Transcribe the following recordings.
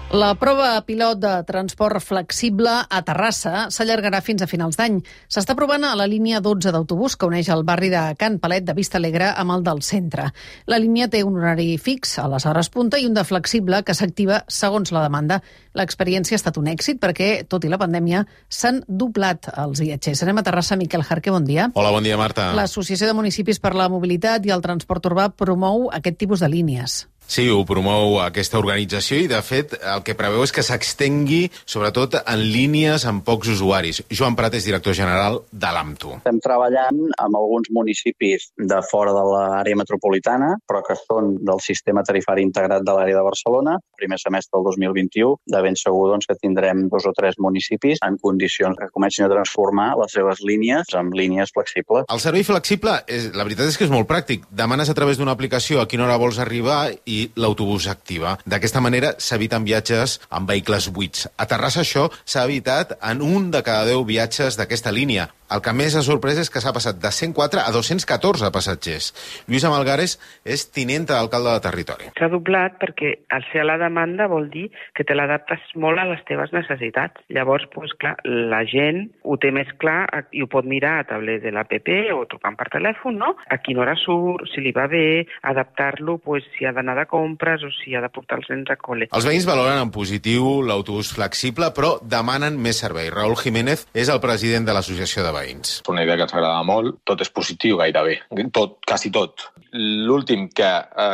La prova pilot de transport flexible a Terrassa s'allargarà fins a finals d'any. S'està provant a la línia 12 d'autobús que uneix el barri de Can Palet de Vista Alegre amb el del centre. La línia té un horari fix a les hores punta i un de flexible que s'activa segons la demanda. L'experiència ha estat un èxit perquè, tot i la pandèmia, s'han doblat els viatgers. Anem a Terrassa. Miquel Jarque, bon dia. Hola, bon dia, Marta. L'Associació de Municipis per la Mobilitat i el Transport Urbà promou aquest tipus de línies. Sí, ho promou aquesta organització i, de fet, el que preveu és que s'extengui, sobretot, en línies amb pocs usuaris. Joan Prat és director general de l'AMTU. Estem treballant amb alguns municipis de fora de l'àrea metropolitana, però que són del sistema tarifari integrat de l'àrea de Barcelona. Primer semestre del 2021, de ben segur que tindrem 2 o 3 municipis en condicions que comencin a transformar les seves línies en línies flexibles. El servei flexible, la veritat és que és molt pràctic. Demanes a través d'una aplicació a quina hora vols arribar i l'autobús activa. D'aquesta manera s'eviten viatges amb vehicles buits. A Terrassa això s'ha evitat en 1 de cada 10 viatges d'aquesta línia. El que més ha sorprès és que s'ha passat de 104 a 214 passatgers. Lluïsa Malgares és tinenta d'alcalde de territori. S'ha doblat perquè al ser a la demanda vol dir que te l'adaptes molt a les teves necessitats. Llavors, clar, la gent ho té més clar i ho pot mirar a través de l'APP o trucant per telèfon, no? A quina hora surt, si li va bé, adaptar-lo, si ha d'anar de compres o si ha de portar els nens a col·le. Els veïns valoren en positiu l'autobús flexible, però demanen més servei. Raúl Jiménez és el president de l'Associació de Veïns. És una idea que ens agrada molt. Tot és positiu gairebé. Tot, quasi tot. L'últim que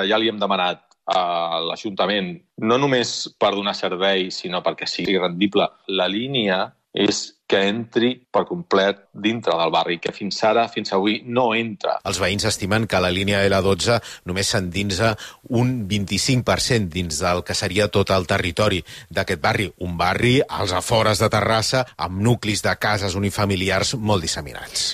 ja li hem demanat a l'Ajuntament, no només per donar servei, sinó perquè sigui rendible, la línia és que entri per complet dintre del barri, que fins avui, no entra. Els veïns estimen que la línia L12 només s'endinsa un 25% dins del que seria tot el territori d'aquest barri. Un barri als afores de Terrassa amb nuclis de cases unifamiliars molt disseminats.